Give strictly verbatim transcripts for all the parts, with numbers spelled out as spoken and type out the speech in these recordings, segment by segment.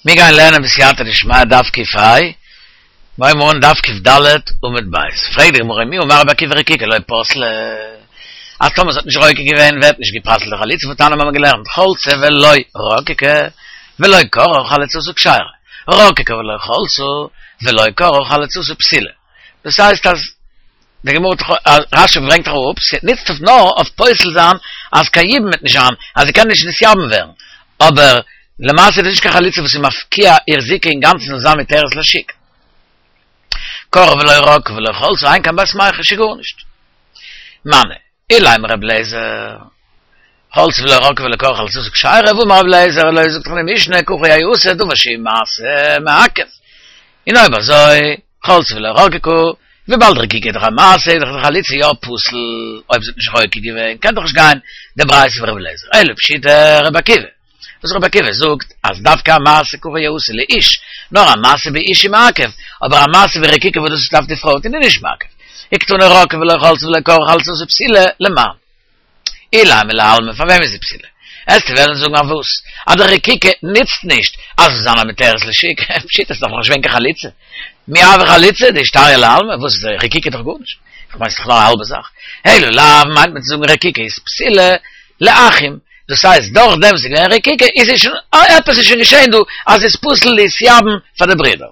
מיר גייען לערנען בסייעתא דשמיא דף ק"ה, מיר הייבן אן דף ק"ד עמוד ב'. פרעגט די גמרא מי אמר רבי עקיבא רקיקה לא פסלה, אז טאמער ס'האט נישט רוקק געווען ווערט נישט גע'פסל'ט די חליצה, והתניא מיר האבן געלערנט חלצה ולא רקקה ולא קרעה חליצתה כשרה, רקקה ולא חלצה ולא קרעה חליצתה פסולה. דאס הייסט אז די גמרא האט רש"י ברענגט אראפ, ס'נוצט אויף נאר אויף פוסל זיין אז קיין יבום וועט נישט זיין, אז זי קען נישט נתייבם ווערן, אבער למעשה איז דאס נישט קיין חליצה וואס איז מפקיע איר זיקה אינגאנצן זאל זיין מותרת לשוק. קרעה ולא רקקה ולא חלצה, אין כאן בת מיחש איז גארנישט. מני, אילימא רבי אליעזר, חלצה ולא רקקה ולא קרעה חליצתה כשרה, והאמר רבי אליעזר, אלא זאגט דאך די משנה ככה יעשה דבר שהוא מעשה מעכב. און אויב אזוי, חלצה ולא רקקה, וויבאלד רקיקה איז דאך א מעשה, איז דאך די חליצה יא פסול, אויב זי האט נישט רוקק געווען, קען דאך נישט גיין די ברייתא פון רבי אליעזר, אלא פשיטא רבי עקיבא, וואס רבי עקיבא זאגט אז דווקא א מעשה ככה יעשה לאיש, נאר א מעשה באיש איז מעכב, אבער א מעשה ברקיקה וואס דאס דארף די פרוי טון איז נישט מעכב. וקתני רקקה ולא חלצה ולא קרעה חליצתה פסולה, למאן? אילימא לעלמא, פאר וועם איז זי פסולה? עסטו וועלן זאגן אויף וואס? אז די רקיקה נוצט נישט אז זאל זיין א מותרת לשוק, פשיטא ס'איז דאך נאכנישט געווען קיין חליצה. מי הוה חליצה דאישתריא לעלמא, וואס איז רקיקה איז דאך גארנישט, איך מיין ס'איז דאך נאר א האלבע זאך. אלא לאו מיינט מען צו זאגן רקיקה איז פסולה לאחים, דאס הייסט דורך דעם וואס איז געווען רקיקה איז עס שוין עפעס איז שוין געשען דא אז ס'איז פסול להתייבם פאר די ברידער.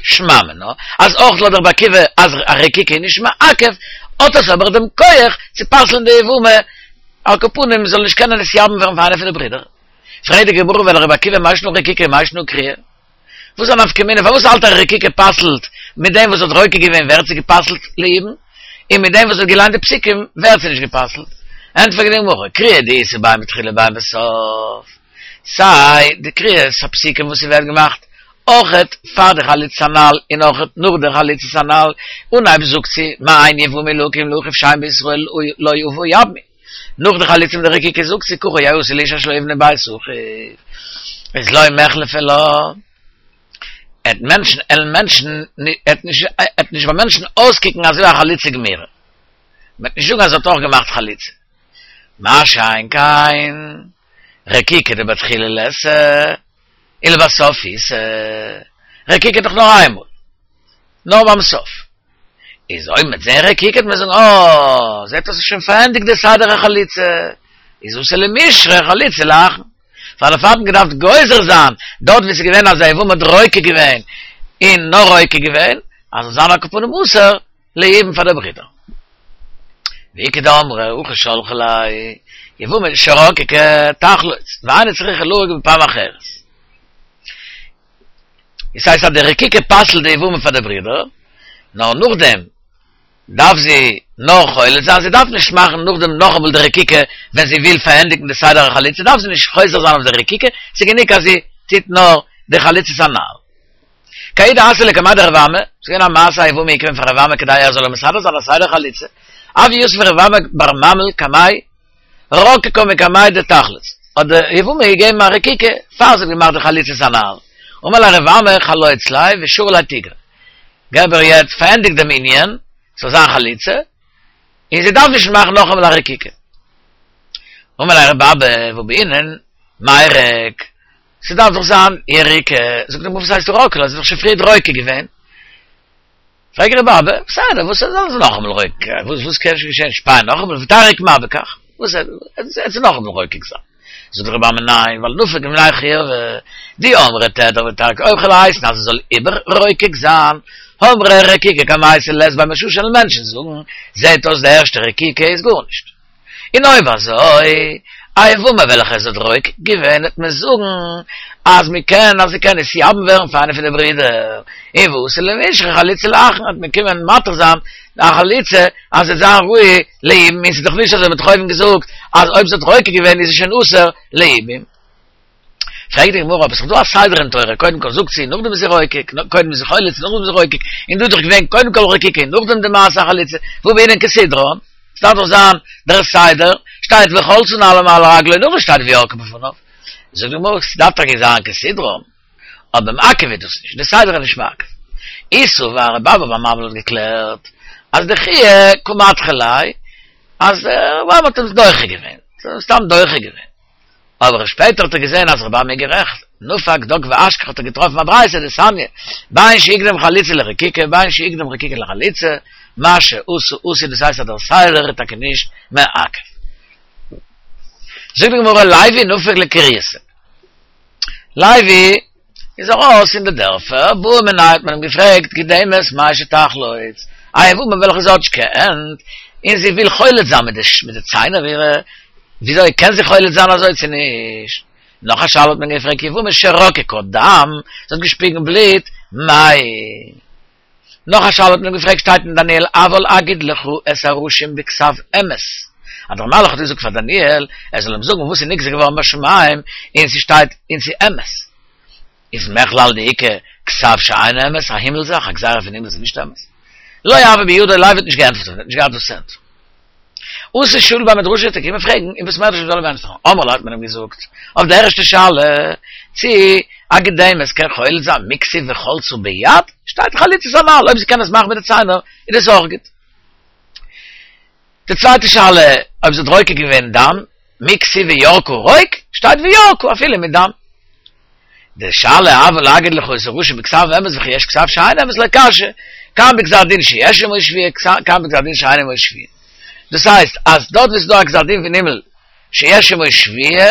שמע מינה אז אויך לויט רבי עקיבא אז א רקיקה איז נישט מעכב, האט עס אבער דעם כח צו פסל'ן די יבמה, על כל פנים זאל נישט קענען נתייבם ווערן פאר איינע פון די ברידער. פרעגט די גמרא ולרבי עקיבא מאי שנא רקיקה ומאי שנא קריאה? וואס איז א נפקא מינה פארוואס האלט ער רקיקה פסל'ט מיט דעם וואס האט רוקק געווען ווערט זי גע'פסל'ט ליבום און מיט דעם וואס האט געליינט די פסוקים ווערט זי נישט גע'פסל'ט? ענטפערט די גמרא קריאה דאיתא בין בתחילה בין בסוף סיי די קריאת הפסוקים וואס ס'ווערט געמאכט אויכעט פאר די חליצה הנ"ל און אויכעט נאך די חליצה הנ"ל אנהייב זאגט זי מאן יבמי להקים לאחיו שם בישראל לא אבה יבמי נאך די חליצה מיט די רקיקה זאגט זי ככה יעשה לאיש אשר לא יבנה בית אחיו איז לא מיחלפא לה עט מענטשן עלן מענטשן עט נישט עט נישט ביי מענטשן אויסקוקן אזוי א חליצה גמורה מ'עט נישט זאגן אז זי האט אויך געמאכט חליצה מה שאין כן רקיקה דבתחילה ליתא ולבסוף איתא רקיקה איז דאך נאר איינמאל נאר ביים סוף איז אויב מ'עט זען רקיקה וועט מען זאגן אה, זעט אויס ס'איז שוין פארענדיגט די סדר החליצה, איז אתי למישרי חליצה לאחין. פאר דערפאר האט מען געדארפט גוזר זיין דארט וואו ס'איז געווען אז די יבמה האט רוקק געווען און נאר רוקק געווען, אז זאל זיין על כל פנים אסור ליבום פאר די ברידער. ואיכא דאמרי הכי שלחה ליה יבמה שרקקה תחלוץ ואינה צריכה לרוק בפעם אחרת. דאס הייסט אז די רקיקה פסל'ט די יבמה פאר די ברידער, נאר נאכדעם דארף זי נאר חולץ זיין, זי דארף נישט מאכן נאכדעם נאכאמאל די רקיקה ווען זי וויל פארענדיגן די סדר החליצה דארף זי נישט חוזר זיין אויף די רקיקה, ס'איז גענוג אז זי טוט נאר די חליצת הנ"ל. כי ההוא דאתאי לקמיה דרב אמי, ס'איז געווען א מעשה א יבמה איז געקומען פאר רב אמי כדי ער זאל איר מסדר זיין א סדר חליצה, הוה יתיב רב אמי בר ממל קמיה, רקקה מקמיה דתחלוץ, האט די יבמה געגעבן א רקיקה פאר זי האט געמאכט די חליצת הנ"ל, אמר ליה רב אמי חלוץ ליה ושרי ליה תיגרא, געב איר יעצט פארענדיג דעם ענין, ס'זאל זיין חליצה, און זי דארף נישט מאכן נאכאמאל א רקיקה. אמר ליה רב אבא והא בעינן מירק, ס'דארף דאך זיין יריקה, זאגט די גמרא וואס הייסט רקקה לה, זי האט דאך שוין פריער רוקק געווען. פרעגט רב אבא, בסדר, וואס זאל זי נאכאמאל רוקק, וואס וואס קען שוין געשען, שפיי נאכאמאל, ותרק מה בכך, וואס זאל זי נאכאמאל רוקק זיין? זאגט רב אמי ניין, ווייל נפיק מיניה חיובא, דאי אמרת תדרך ותרק, אויב כ'וועל הייסן אז זי זאל איבער רוקק זיין, אמרי רקיקה קמייתא לית בה מששא וועלן מענטשן זאגן, זעהט אויס די ערשטע רקיקה איז גארנישט. און אויב אזוי, א יבמה וועלכע זי האט רוקק געווען וועט מען זאגן אז מען קען אז זי קען נתייבם ווערן פאר איינע פון די ברידער, און ואתי למישרי חליצה לאחין וועט מען קומען מתיר זיין א חליצה אז זי וועט זיין ראוי ליבום, און ס'איז דאך נישט אזוי מ'האט דאך אויבן געזאגט אז אויב זי האט רוקק געווען איז זי שוין אסור ליבום. פרעגט די גמרא, אבער ס'איז דאך דא א סדר אין תורה, קודם כל זאגט זי, נאכדעם איז זי רוקק, קודם איז זי חולץ, נאכדעם איז זי רוקק, און דא איז דאך געווען קודם כל רקיקה און נאכדעם די מעשה החליצה, והא בעינן כסדרן, ס'דארף דאך זיין דער סדר, שטייט וחלצה נעלו מעל רגלו, נאכדעם שטייט וירקה בפניו. זאגט די גמרא, ס'דארף טאקע זיין כסדרן, אבער מעכב איז דאס נישט, די סדר איז נישט מעכב. אי סבר רב אבא בר ממל האט געקלערט אז דחויי קא מדחי ליה, אז רב אמי האט אים דוחה געווען, סתם דוחה געווען. אבער שפעטער האט ער געזען אז רבי אמי גערעכט, נפק דק ואשכח האט ער געטראפן א ברייתא דתניא, בין שהקדים חליצה לרקיקה בין שהקדים רקיקה לחליצה, מה שעשו עשוי דאס הייסט אז דער סדר איז טאקע נישט מעכב. זאגט די גמרא לוי נפק לקרייתא. לוי איז ארויס אין די דערפער, בעו מיניה האט מען אים געפרעגט גידמת מהו שתחלוץ, א יבמה וועלכע זי האט נישט געקענט, און זי וויל חולץ זיין מיט די ציינער אירע, וויאזוי קען זי חולץ זיין אזוי צו נישט? נאך א שאלה האט מען געפרעגט יבמה שרקקה דם, זי האט געשפיגן בלוט, מהו? נאך א שאלה האט מען געפרעגט שטייט אין דניאל אבל אגיד לך את הראשים בכתב אמת, אז דער מלאך האט געזאגט פאר דניאל ער זאל אים זאגן וואס איז נגזר געווארן בשמים און ס'שטייט און ס'איז אמת, איז מכלל דאיכא כתב שאינו אמת, א הימל זאך, א גזירה פון הימל איז נישט אמת. לא הוה בידו לוי האט נישט געענטפערט אויף דעם, האט נישט געהאט וואס צו ענטפערן. אתא שאיל בי מדרשא איז ער געקומען פרעגן אין בית מדרש מ'זאל אים ענטפערן, אמרו ליה האט מען אים געזאגט אויף די ערשטע שאלה צי א גידמת קען חולץ זיין מי כתיב וחלצה ביד, שטייט חליצת הנ"ל, אויב זי קען עס מאכן מיט די ציינער איז דאס אויך גוט. די צווייטע שאלה אויב זי האט רוקק געווען דם, מי כתיב וירקה רוק, שטייט וירקה אפילו מיט דם. די שאלה אבל אגיד לך את הראשים בכתב אמת וכי יש כתב שאינו אמת לא קשיא, כאן בגזר דין שיש עמו שבועה כאן בגזר דין שאין עמו שבועה. דאס הייסט אז דארט וואו ס'איז דא א גזר דין פון הימל שיש עמו שבועה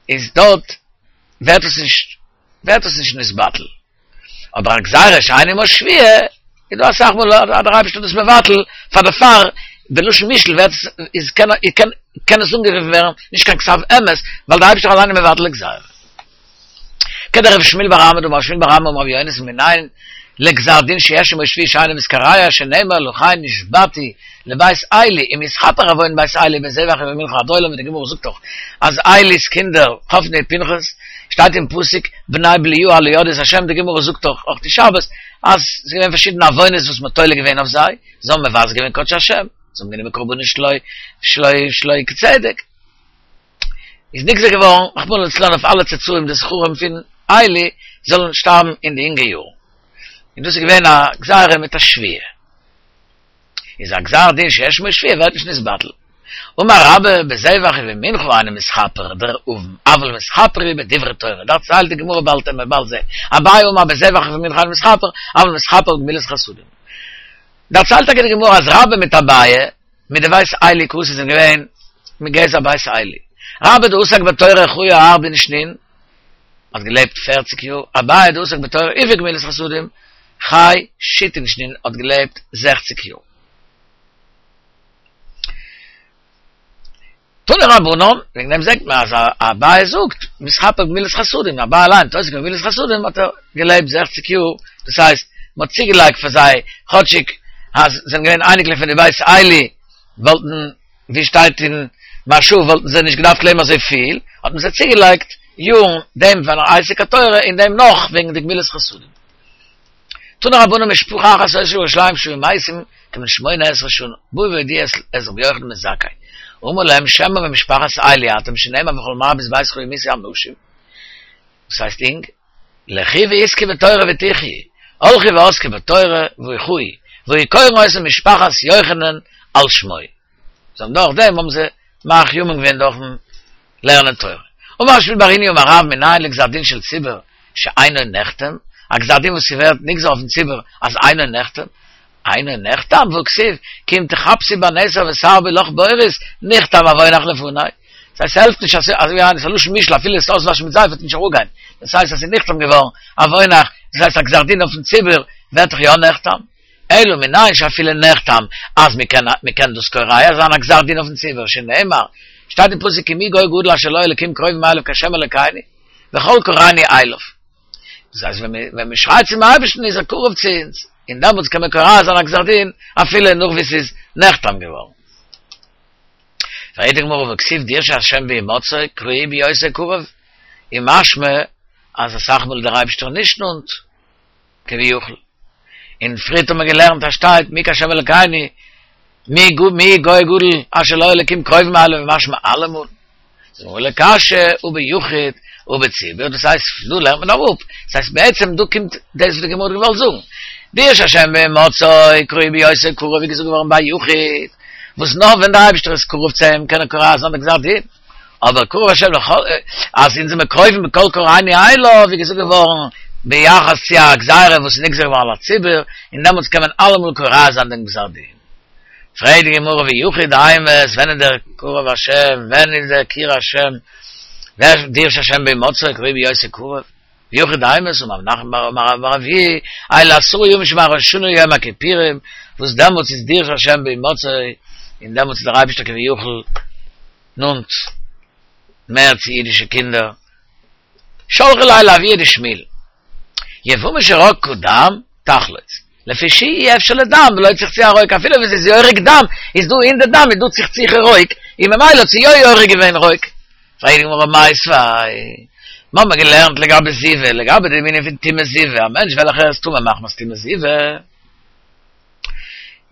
איז דארט ווערט עס נישט ווערט עס נישט נתבטל. אבער א גזירה שאין עמה שבועה איז דא אסאך מאל אז דער אייבערשטער איז דאס מבטל פאר דערפאר בלשון מושאל ווערט עס איז קען קען קען עס אנגערופן ווערן נישט קיין כתב אמת ווייל דער אייבערשטער אליין איז מבטל די גזירה. כדרב שמואל בר אמי דאמר שמואל בר אמי אמר רבי יונתן מנין לגזר דין שיש עמו שבועה שאינו מתקרע שנאמר לכן נשבעתי לבית עלי אם יתכפר עון בית עלי בזבח ובמנחה עד עולם ווי די גמרא זאגט דאך אז עלי'ס קינדער חפני ופנחס שטייט אין פסוק בני בליעל לא ידעו את השם די גמרא זאגט דאך אויך די שבת אז ס'איז געווען פארשידענע עוונות וואס מ'האט תולה געווען אויף זיי, זיי האבן מבזה געווען קדשי השם, זיי האבן גענומען קרבנות שלא שלא שלא כצדק, איז נגזר געווארן רחמנא לצלן אויף אלע צאצאים די זכרים פון עלי זאלן שטארבן אין די אינגע יארן, און דאס איז געווען א גזירה מיט א שבועה. איז א גזר דין שיש עמו שבועה ווערט נישט נתבטל. אמר רבה בזבח ובמנחה אינו מתכפר דער עון אבל מתכפר הוא בדברי תורה דערציילט די גמרא באלד וועט מען באלד זעהן אביי אמר בזבח ובמנחה אינו מתכפר אבל מתכפר בגמילות חסדים דערציילט טאקע די גמרא אז רבה מיט אביי מיט די בית עלי קאתי זענען געווען מגזע בית עלי רבה דעסק בתורה חי ארבעין שנין האט געלעבט פערציג יאר, אביי דעסק בתורה ובגמילות חסדים, חי שיתין שנין האט געלעבט זעכציג יאר. תנו רבנן, וועגן דעם זעט מען אז אביי זאגט, מתכפר בגמילות חסדים, אביי אליין האט עוסק געווען בגמילות חסדים האט ער געלעבט זעכציג יאר, דאס הייסט מען האט צוגעלייגט פאר זיי כאטשיג אז זיי זענען געווען אייניקלעך פון די בית עלי וואלטן ווי שטייט אין מהרש"א וואלטן זיי נישט געדארפט לעבן אזוי פיל, האט מען זיי צוגעלייגט יארן דעם פארן עסק התורה און דעם נאך וועגן די גמילות חסדים. תנו רבנן משפחה אחת היתה בירושלים שהיו מתים כבני שמונה עשרה שנה, באו והודיעו את רבי יוחנן בן זכאי, אמר להם שמא ממשפחת עלי אתם שנאמר וכל מרבית ביתך ימותו אנשים, וואס הייסט אינג? לכי ועסקי בתורה ותחיי, הלכו ועסקו בתורה וחיו, והיו קורין אותה משפחת יוחנן על שמו. זיי האבן דורך דעם האבן זיי מאריך ימים געווען דורכן לערנען תורה. אמר שמואל בר היניא אמר רב מנין לגזר דין של ציבור שאינו נחתם, א גזר דין וואס ס'ווערט נגזר אויפן ציבור אז אינו נחתם, אינו נחתם והכתיב כי אם תחפשי בנתר ותרבי לך בורית נכתם עונך לפני. דאס הייסט ס'העלפט נישט אז אזוי ווי ס'איז א לשון מושאל אפילו עס אויסוואשן מיט זייף וועט נישט אראפגיין, דאס הייסט אז ס'איז נחתם געווארן עונך, דאס הייסט א גזר דין אויפן ציבור ווערט דאך יא נחתם. אלא מנין שאפילו נחתם אז מ'קען מ'קען דאס קורע זיין א גזר דין אויפן ציבור שנאמר שטייט אין פסוק כי מי גוי גדול אשר לו אלקים קרובים אליו כה' אלקינו וכל קראנו אליו דאס הייסט ווען ווען מ'שרייט צום אייבערשטן איז ער קרוב צו אונז און דעמאלטס קען מען קורע זיין א גזר דין אפילו נאך ווי ס'איז נחתם געווארן. פרעגט די גמרא והכתיב דרשו השם בהמצאו קראוהו בהיותו קרוב איז משמע אז אסאך מאל איז דער אייבערשטער נישט נאנט כביכול. און פריערט האט מען געלערנט אז שטייט מי כהשם אלקינו מי גו מי גוי גדול אשר לו אלקים קרובים אליו משמע אלעמאל. זאגט די גמרא לא קשיא הא ביחיד הא בציבור, דאס הייסט דא לערנט מען אראפ, דאס הייסט בעצם דא קומט דאס וואס די גמרא האט געוואלט זאגן, דרשו השם בהמצאו קראוהו בהיותו קרוב איז געזאגט געווארן ביי יחיד, וואס נאר ווען דער אייבערשטער איז קרוב צו אים קען ער קורע זיין די גזר דין. אבער קרוב השם לכל, אז אונז זעמיר קרובים בקול קוראינו אליו, ווי געזאגט געווארן ביחס צו א גזירה וואס איז נגזר געווארן על הציבור, און דעמאלטס קען מען אלעמאל קורע זיין דעם גזר דין. פרעגט די גמרא ויכי דאימת, ווען איז דער קרוב השם, ווען איז דער קיר השם, ווער דירש השם בהמצאו קרוב בהיותו קרוב, ויכי דאימת אמר רב נחמן בר אמר רב בר אבויה, אלו עשרה ימים שמראש השנה ליום הכיפורים, וואס דעמאלטס איז דירש השם בהמצאו, און דעמאלטס איז דער אייבערשטער כביכול נאנט מער צו אידישע קינדער. שלחו ליה לאבוה דשמואל, יבמה שרקה דם, תחלוץ, לפי שאי אפשר לדם בלא צחצוח הרוק, אפילו ווען ס'איז יורק דם, איז דא אין די דם איז דא צחצוחי רוק, און ממילא האט זי יא יורק געווען רוק. פרעגט די גמרא מיתיבי, מיר האבן געלערנט לגבי זיבה, לגבי די ענין פון טומאת זיבה, א מענטש וועלכער איז טמא מחמת טומאת זיבה,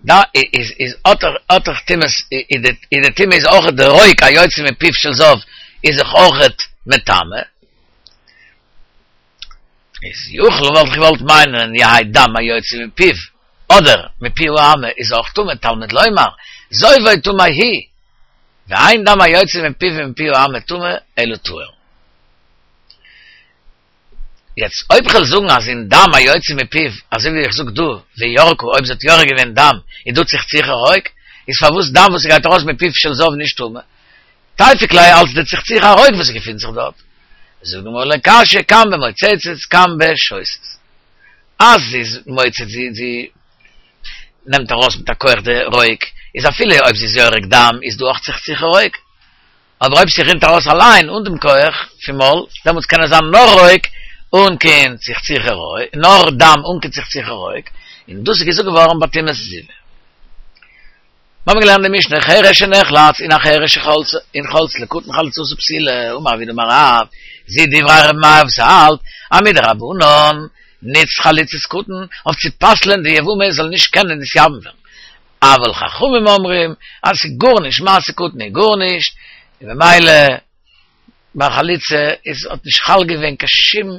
דא איז איז האט ער האט ער טומאת איז די איז די טומאה איז אויכעט די רוק היוצא מפיו של זב איז זיך אויכעט מטמא, איז יכול וואלט איך געוואלט מיינען יהא דם היוצא מפיו אדער מפי האמה איז אויך טמא תלמוד לומר זובו טמא הוא ואין דם היוצא מפיו ומפי האמה טמא אלא טהור. יעצט אויב כ'וועל זאגן אז אין דם היוצא מפיו אזוי ווי איך זאג דא וירקה אויב זי האט יורק געווען דם איז דא צחצוחי רוק איז פארוואס דם וואס ס'גייט ארויס מפיו של זב נישט טמא? תיפוק ליה אלץ די צחצוחי הרוק וואס געפינט זיך דארט. זאגט די גמרא לא קשיא כאן במוצצת כאן בשותת. אז זי איז מוצץ זי זי נעמט ארויס מיט א כח די רוק איז אפילו אויב זי איז יורק דם איז דא אויך צחצוחי רוק. אבער אויב ס'רינט ארויס אליין אן דעם כח פון מויל דעמאלטס קען עס זיין נאר רוק אן קיין צחצוחי רוק נאר דם אן קיין צחצוחי רוק און דאס איז געזאגט געווארן ביי טומאת זיבה. מיר האבן געלערנט די משנה חרש שנחלץ און א חרש שחלצה און חלצה לקטן חליצתה פסולה, אמר רב יהודה אמר רב, זו דברי ר' מאיר וואס האלט אז מדרבנן ניצט חליצת קטן אויף צו פסל'ען די יבמה זאל נישט קענען נתייבם ווערן, אבל חכמים אומרים אז ס'איז גארנישט מעשה קטן איז גארנישט, און ממילא ביי חליצה איז האט נישט חל געווען קיין שום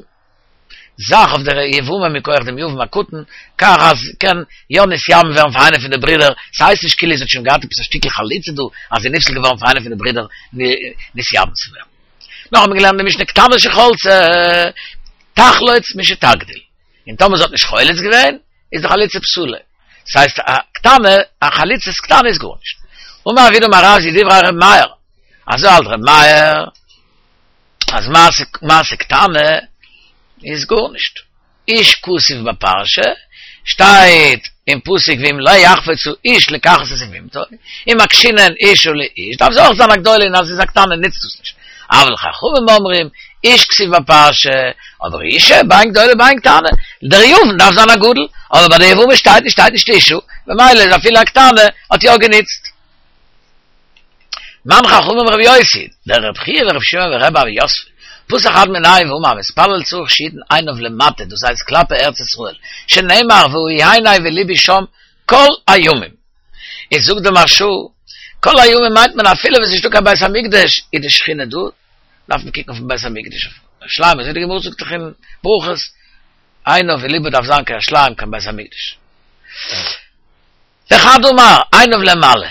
זאך אויף דער יבמה מכח דעם יבם הקטן, כך אז קען יא נתייבם ווערן פאר איינער פון די ברידער, ס'הייסט נישט כאילו זי האט שוין געהאט עפעס א שטיקל חליצה דא, אז זי איז נפסל געווארן פאר איינער פון די ברידער נתייבם צו ווערן. נאך האט מען געלערנט די משנה קטנה שחלצה תחלוץ משתגדיל, און טאמער זי האט נישט חולץ געווען איז די חליצה פסולה, ס'הייסט א קטנה, א חליצת קטנה איז גארנישט. אמר רב יהודה אמר רב זו דברי ר' מאיר, אזוי האלט ר' מאיר. אז מעשה מעשה קטנה איז גארנישט. איש כתיב בפרשה, שטייט אין פסוק ואם לא יחפוץ האיש לקחת את יבמתו, ומקשינן אשה לאיש, דארף זי אויך זיין א גדולה און אז זי איז א קטנה נוצט דאס נישט. אבל חכמים אומרים, איש כתיב בפרשה, אבער אישה בין גדולה בין קטנה, דער יבם דארף זיין א גדול, אבער ביי די יבמה שטייט נישט שטייט נישט אישה, ממילא איז אפילו א קטנה האט יא גענוצט. מאן חכמים רבי יוסי, דרבי חייא ורבי שמעון ורבי אבא יוסף, פתח חד מינייהו ואמר המתפלל צריך שיתן עיניו למטה, דאס הייסט כלפי ארץ ישראל, שנאמר והיו עיני ולבי שם כל הימים. איז זאגט די מהרשא, כל הימים מיינט מען אפילו ווען ס'נישטא קיין בית המקדש איז די שכינה דא, דארף מען קוקן אויפן בית המקדש אויף ירושלים, אזוי ווי די גמרא זאגט דאך אין ברכות, עיניו ולבו דארף זיין קיין ירושלים קיין בית המקדש. וחד אמר, עיניו למעלה,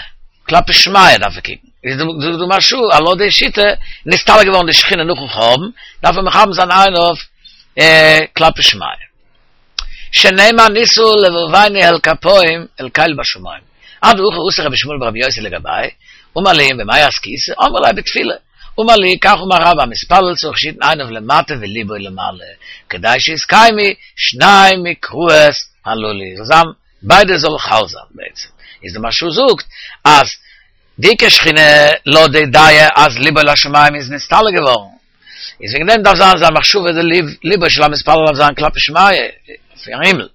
כלפי שמיא דארף ער קוקן. איז זאגט די מהרשא, אז לויט די שיטה, נסתלק געווארן די שכינה נאכן חורבן, דארף מען מכוון זיין עיניו כלפי שמיא. שנאמר נשא לבבנו אל כפים אל קל בשמים. אדהכי אתא רבי ישמעאל ברבי יוסי לגביה, אמר להו במאי עסקיתו, אמרו ליה בתפילה. אמר להו כך אמר רבה המתפלל צריך שיתן עיניו למטה וליבו למעלה, כדי שיתקיימו שני מקראות הללו, זאל זיין ביידע זאל חל זיין בעצם איז די מהרשא זאגט אז די עיקר שכינה לויט די דעה אז ליבו לשמים איז נסתלק געווארן איז וועגן דעם דארף זיין זיין מחשבה די לב ליבו של המתפלל דארף זיין כלפי שמיא אויפן הימל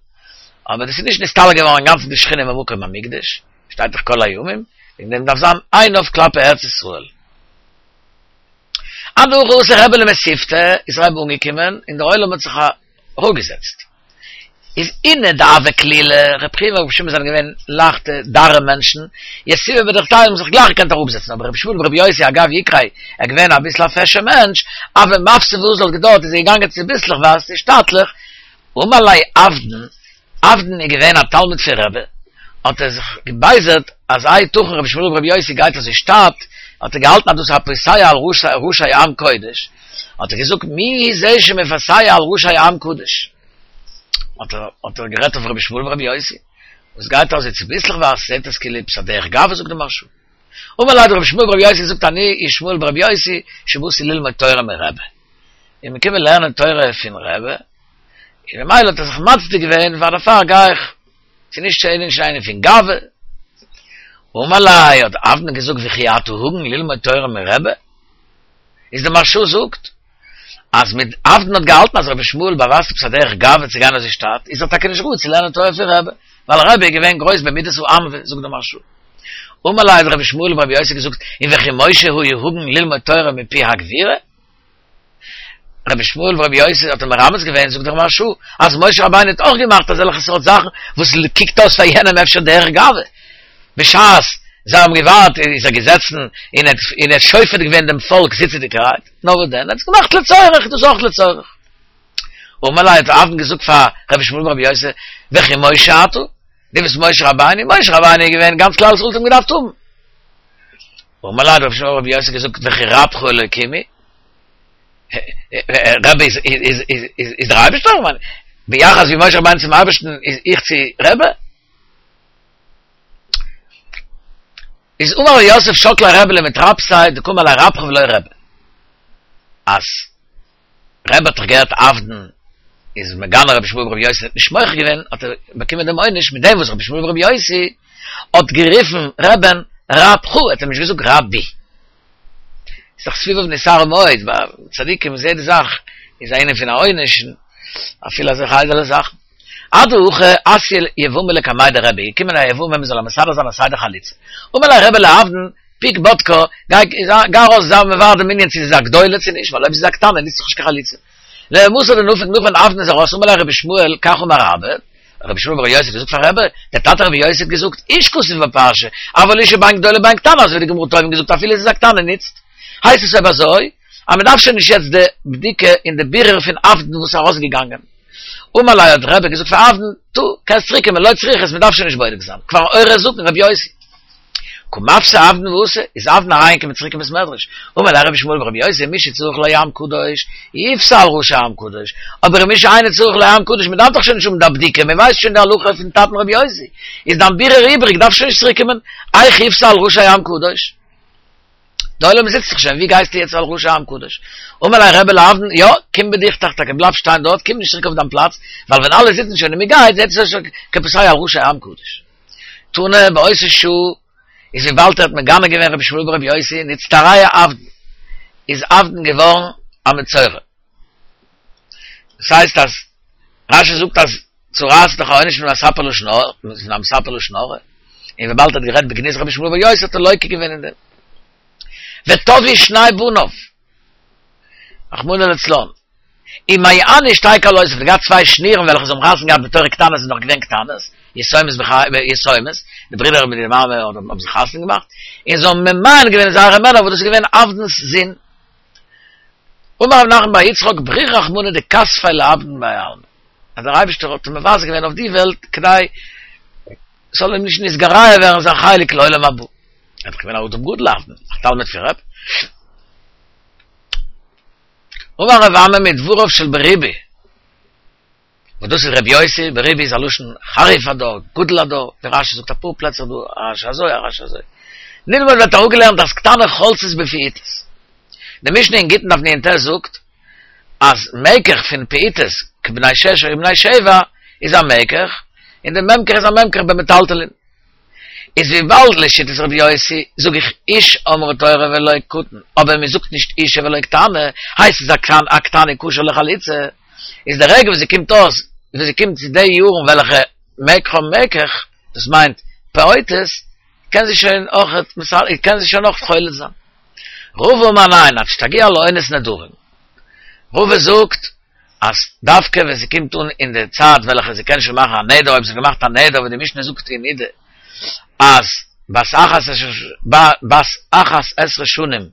אבער דאס איז נישט נסתלק געווארן אינגאנצן די שכינה ממקום המקדש שטייט דאך כל הימים וועגן דעם דארף זיין עיניו כלפי ארץ ישראל. אדהכי אתא רבי למתיבתא איז רבי אנגעקומען און דער עולם האט זיך אראפגעזעצט. איז אינהו דהוו כלילי, רבי חייא און רבי שמעון זענען געווען לייכטע דארע מענטשן, יתיבי בדוכתייהו האבן זיך גלייך געקענט אראפזעצן, אבער רבי ישמעאל ברבי יוסי אגב איקריה, ער געווען אביסל א פעשער מענטש, הוה מפסי ואזיל האט געדויערט איז ער געגאנגען צוביסלעכווייז צו שטאטליך, אמר ליה אבדן, אבדן איז געווען א תלמיד פון רבי, האט ער זיך געבייזערט אז היתכן רבי ישמעאל ברבי יוסי גייט אזוי שטאט, האט ער געהאלטן אז דאס איז א פוסע על ראשי עם קודש, האט ער געזאגט מי זה שמפסע על ראשי עם קדוש, האט ער האט ער גערעדט אויף רבי שמואל ברבי יוסי, וואס גייט אזוי צוביסלעך ווייל ס'זעט אויס כאילו עפעס א דרך גאווה זאגט די מהרש"א. אמר ליה האט רבי שמואל ברבי יוסי געזאגט אני הוא שמואל ברבי יוסי שבאתי ללמוד תורה מרבי, איך בין געקומען לערנען תורה פון רבי, און ממילא האט ער זיך מצדיק געווען פאר דערפאר גיי איך, ס'איז נישט ס'איז נישט אן ענין פון גאווה. אמר ליה האט אבדן געזאגט וכי אתה הגון ללמוד תורה מרבי? איז די מהרש"א זאגט אז מיט אבדן האט געהאלטן אז רבי שמואל באווייזט עפעס א דרך גאווה צו גיין אזוי שטאט, איז ער טאקע נישט ראוי צו לערנען תורה פון רבי, ווייל רבי איז געווען גרויס במידת הענווה, זאגט די מהרש"א. אמר ליה האט רבי שמואל ברבי יוסי געזאגט, און וכי משה היה הגון ללמוד תורה מפי הגבורה? רבי שמואל ברבי יוסי האט אים מרמז געווען, זאגט דער מהרש"א, אז משה רבינו האט אויך געמאכט אזעלכע סארט זאכן וואס קוקט אויס פאר יענעם אפשר דרך גאווה. בשעת זיי האבן געווארט איז ער געזעצן און האט און האט שופט געווען דעם פאלק זיצעדיגערהייט, נאר וואס דען, ער האט עס געמאכט לצורך, דאס אויך לצורך. אמר ליה האט אבדן געזאגט פאר רבי שמואל ברבי יוסי, וכי משה אתה? דו ביסט משה רבינו? משה רבינו איז געווען, גאנץ כלל ישראל האט אים געדארפט האבן. אמר ליה האט רבי שמואל ברבי יוסי געזאגט, וכי רבך אלוקים הוא? רבי איז איז איז איז איז דער אייבערשטער? כ'מיין, ביחס ווי משה רבינו צום אייבערשטן איז איך צו רבי? איז אמר רב יוסף שקליה רבי למטרפסיה דקאמר ליה רבך ולא רבי. אז רבי האט דאך געהערט אבדן איז מגנה רבי שמואל ברבי יוסי האט נישט מוחה געווען האט ער באקומען דעם עונש מיט דעם וואס רבי שמואל ברבי יוסי האט גערופן רבי'ן רבך האט ער נישט געזאגט רבי. איז דאך סביביו נתערו מאוד, ביי צדיקים איז יעדע זאך איז א ענין פון א עונש, אפילו אזעלכע איידעלע זאכן. אדהכי אתיא יבמה לקמיה דרבי, געקומען א יבמה מען זאל מסדר זיין א סדר חליצה. אמר ליה רבי לאבדן, פוק בדקה, גיי גיי ארויס זיי מברר דעם ענין צו זי איז א גדולה צו נישט, ווייל אויב זי איז א קטנה ניצט זיך נישט קיין חליצה. למתא דנפיק נאך ווען אבדן איז ארויס אמר ליה רבי שמואל כך אמר אבא, רבי שמואל ברבי יוסי האט געזאגט פאר רבי, דער טאטע רבי יוסי האט געזאגט, איש כתוב בפרשה, אבל אשה בין גדולה בין קטנה, אזוי ווי די גמרא תובעים געזאגט אפילו עס איז א קטנה ניצט, הייסט עס אויב אזוי, אז מען דארף שוין נישט יעצט די בדיקה און די בירור פון אבדן וואס איז ארויסגעגאנגען. אמר ליה האט רבי געזאגט פאר אבדן, טא, קענסט צוריק קומען, לא צריכת, מען דארף שוין נישט בודק זיין, כבר עורה זקן רבי יוסי. קא מפסי אבדן ואתא, איז אבדן אריינגעקומען צוריק אין בית מדרש, אמר ליה רבי שמואל ברבי יוסי מי שצריך לו עם קדוש, יפסע על ראשי עם קדוש, אבער מי שאינו צריך לו עם קדוש, מען דארף דאך שוין נישט האבן די בדיקה, מען ווייסט שוין די הלכה פון טאטן רבי יוסי, איז דיין בירור איבריג, דארף שוין נישט צוריק קומען, איך יפסע על ראשי עם קדוש? די עולם זיצט דאך שוין, ווי גייסטו יעצט על ראשי עם קדוש? אמר ליה רבי לאבדן, יא, קום בדוכתך טאקע, בלייב שטיין דארט, קום נישט צוריק אויף דיין פלאץ, ווייל ווען אלע זיצן שוין און מען גייט, זעט עס אויס כפוסע על ראשי עם קדוש. תנא באותה שעה איז וויבאלד ער האט מגנה געווען רבי שמואל ברבי יוסי נצטרע אבדן איז אבדן געווארן א מצורע. דאס הייסט אז רשי זאגט אז צרעת איז דאך א עונש פון המספר לשון הרע, פון המספר לשון הרע, און וויבאלד ער האט גערעדט בגנות רבי שמואל ברבי יוסי האט ער לוקה געווען אין דעם. וטבעו שני בניו. רחמנא לצלן. ומענו שתי כלותיו, האט געהאט צוויי שנירן וועלכע זיי האבן חתונה געהאט בתור קטנות זענען נאך געווען קטנות, יתומות יתומות, די ברידער מיט די מאמע האבן זיך חתונה געמאכט, און זיי האבן ממאן געווען זייערע מענער וואס דאס איז געווען אבדן'ס זון. אמר רב נחמן בר יצחק בריך רחמנא דכספיה לאבדן בהאי עלמא, אז דער אייבערשטער האט אים מבזה געווען אויף די וועלט כדי ס'זאל אים נישט נתגרע ווערן זיין חלק לעולם הבא. ער איז דאך געווען א אדם גדול אבדן, א תלמיד פון רבי. אמר רב אמי מדבריו של בריבי, וואס דאס איז רבי יוסי, בריבי איז א לשון חריף הדור, גדול הדור, ווי רשי זאגט אפאר פלעצער דא, א רשי אזוי א רשי אזוי. נלמד ווערט אראפגעלערנט אז קטנה חולצת בפעוטות. די משנה אין גיטין דף נ"ט זאגט אז מקח פון פעוטות כבני שש או בני שבע איז א מקח, און די ממקח איז א ממקח במטלטלין. איז וויבאלד לשיטת רבי יוסי זאג איך איש אמרה תורה ולא קטן, אבער מען זאגט נישט אישה ולא קטנה, הייסט עס א קטנה כשר לחליצה, איז די רגע וואס זי קומט אויס, וואס זי קומט צו די יארן וועלכע מקחה מקח, דאס מיינט פעוטות, קען זי שוין אויך קען זי שוין אויך חולץ זיין. רבא אמר ניין, עד שתגיע לעונת נדרים. רבא זאגט אז דווקא ווען זי קומט אן אין די צייט וועלכע זי קען שוין מאכן א נדר, אויב זי האט געמאכט א נדר ווי די משנה זאגט אין נידה אז בת אחת בת אחת עשרה שנים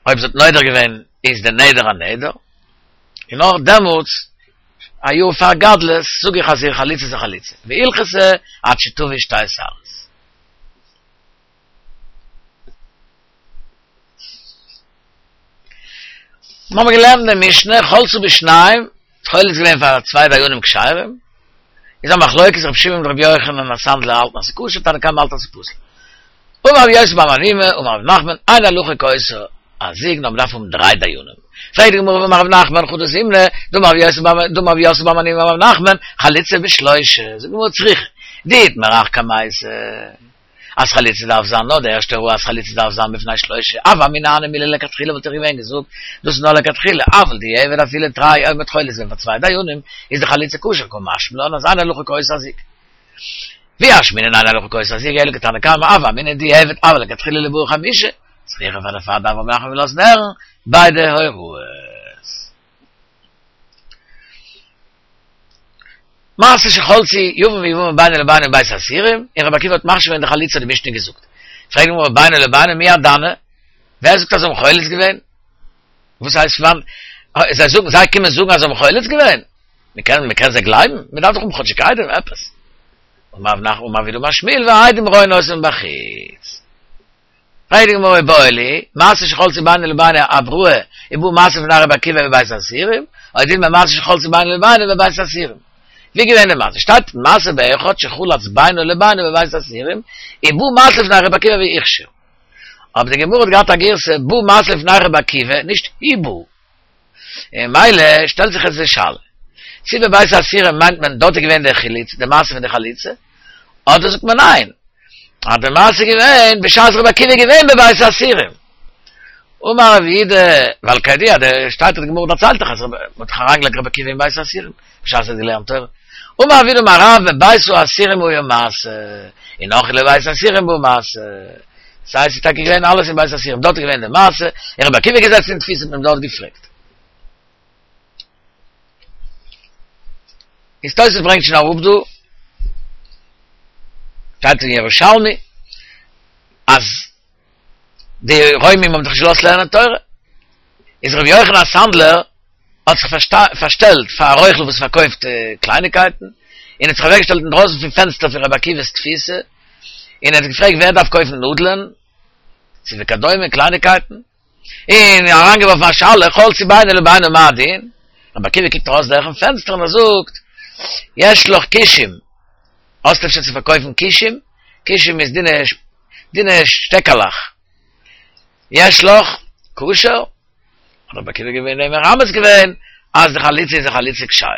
אויב זי האט נודר געווען איז די נדר א נדר, און נאר דעמאלטס א יאר פאר גדלות זאג איך אז איר חליצה איז א חליצה, והלכתא עד שתביא שתי שערות. מיר האבן געלערנט אין די משנה, חלצו בשניים, חולץ געווען פאר צוויי דיינים כשרים, איז א מחלוקת רבי שמעון מיט רבי יוחנן הסנדלר האלטן אז ס'איז כשר, תנא קמא האלט אז ס'איז פסול. אמר רבי יוסי בר מניומי, אמר רב נחמן, אין הלכה כאותו הזוג, נאר מ'דארף האבן דריי דיינים. פרעגט די גמרא והאמר רב נחמן חדא זימנא, דאמר רבי יוסי בר דאמר רבי יוסי בר מניומי אמר רב נחמן, חליצה בשלושה, זאגט די גמרא צריכא, דאיתמר הך קמייתא, אז חליצה דארף זיין נאר די ערשטע הוראה אז חליצה דארף זיין בפני שלושה, הוה אמינא הני מילי לכתחילה וואלט איך געווען געזאגט דאס איז נאר לכתחילה, אבל דיעבד אפילו תרי אויב מ'האט חולץ געווען פאר צוויי דיינים איז די חליצה כשר קא משמע לן אז אין הלכה כאותו הזוג. ואי אשמעינן אין הלכה כאותו הזוג אלא כתנא קמא הוה אמינא דיעבד אבל לכתחילה ליבעו חמשה, צריכא פאר דערפאר דארף רב נחמן לאזן הערן ביידע הוראות. מעשה שחלצו יבם ויבמה בינו לבינו בבית האסורים, און רבי עקיבא האט מכשיר געווען די חליצה האט די משנה געזאגט. פרעגט די גמרא בינו לבינו מי הדנה? ווער זאגט אז זיי האבן חולץ געווען? וואס הייסט וואנען? זיי זאגן זיי קומען זאגן אז זיי האבן חולץ געווען? מען קען מען קען זיי גלייבן? מען דארף דאך האבן כאטשיג עדים עפעס. אמר רב נחמן אמר רב יהודה אמר שמואל והעדים רואין אותם מבחוץ. פרעגט די גמרא איבעיא להו, מעשה שחלצו בינו לבינו אבראי, ובא מעשה לפני רבי עקיבא בבית האסורים, או דילמא מעשה שחלצו בינו לבינו בבית האסורים. ווי געווען די מעשה? שטייט מעשה באחד שחלץ בינו לבינו בבית האסורים, ובא מעשה לפני רבי עקיבא והכשיר. אבער די גמרא האט געהאט א גירסא בא מעשה לפני רבי עקיבא, נישט הובא. און ממילא שטעלט זיך יעצט די שאלה, צו בבית האסורים מיינט מען דארט איז געווען די חליצה, די מעשה פון די חליצה, אדער זאגט מען ניין, אז די מעשה איז געווען בשעת רבי עקיבא איז געווען בבית האסורים. אמר רב יהודה, ווייל כידוע, די שטייט די גמרא דערציילט דאך אז מען האט דאך אריינגעלייגט רבי עקיבא אין בית האסורים בשעת ער האט געלערנט תורה. אמר רב יהודה אמר רב בבית האסורים היה מעשה, און נאך לבית האסורים בא מעשה. ס'הייסט ס'איז טאקע געווען אלעס אין בית האסורים, דארט איז געווען די מעשה, און רבי עקיבא איז געזעצן אין תפיסה האט מען אים דארט געפרעגט. איז תוס' ברענגט שוין אראפ דא, שטייט אין ירושלמי, אז די רוימים האבן דאך נישט געלאזט לערנען תורה, איז רבי יוחנן הסנדלר האט זיך פארשטעלט פאר א רוכל וואס פארקויפט קלייניקייטן, און האט זיך אוועקגעשטעלט אינדרויסן פון פענסטער פון רבי עקיבא'ס תפיסה, און ער האט געפרעגט ווער דארף קויפן נאדלען, צו וכדומה קלייניקייטן. און אריינגעווארפן א שאלה, חלצו בינו לבינו מה הדין? רבי עקיבא קוקט ארויס דורכן פענסטער און ער זאגט, יש לך כושים, האסט אפשר צו פארקויפן כושים? כושים איז דינע דינע שטעקעלעך. יש לך כשר? האט רבי עקיבא געווען דעם מרמז געווען אז די חליצה איז א חליצה כשרה.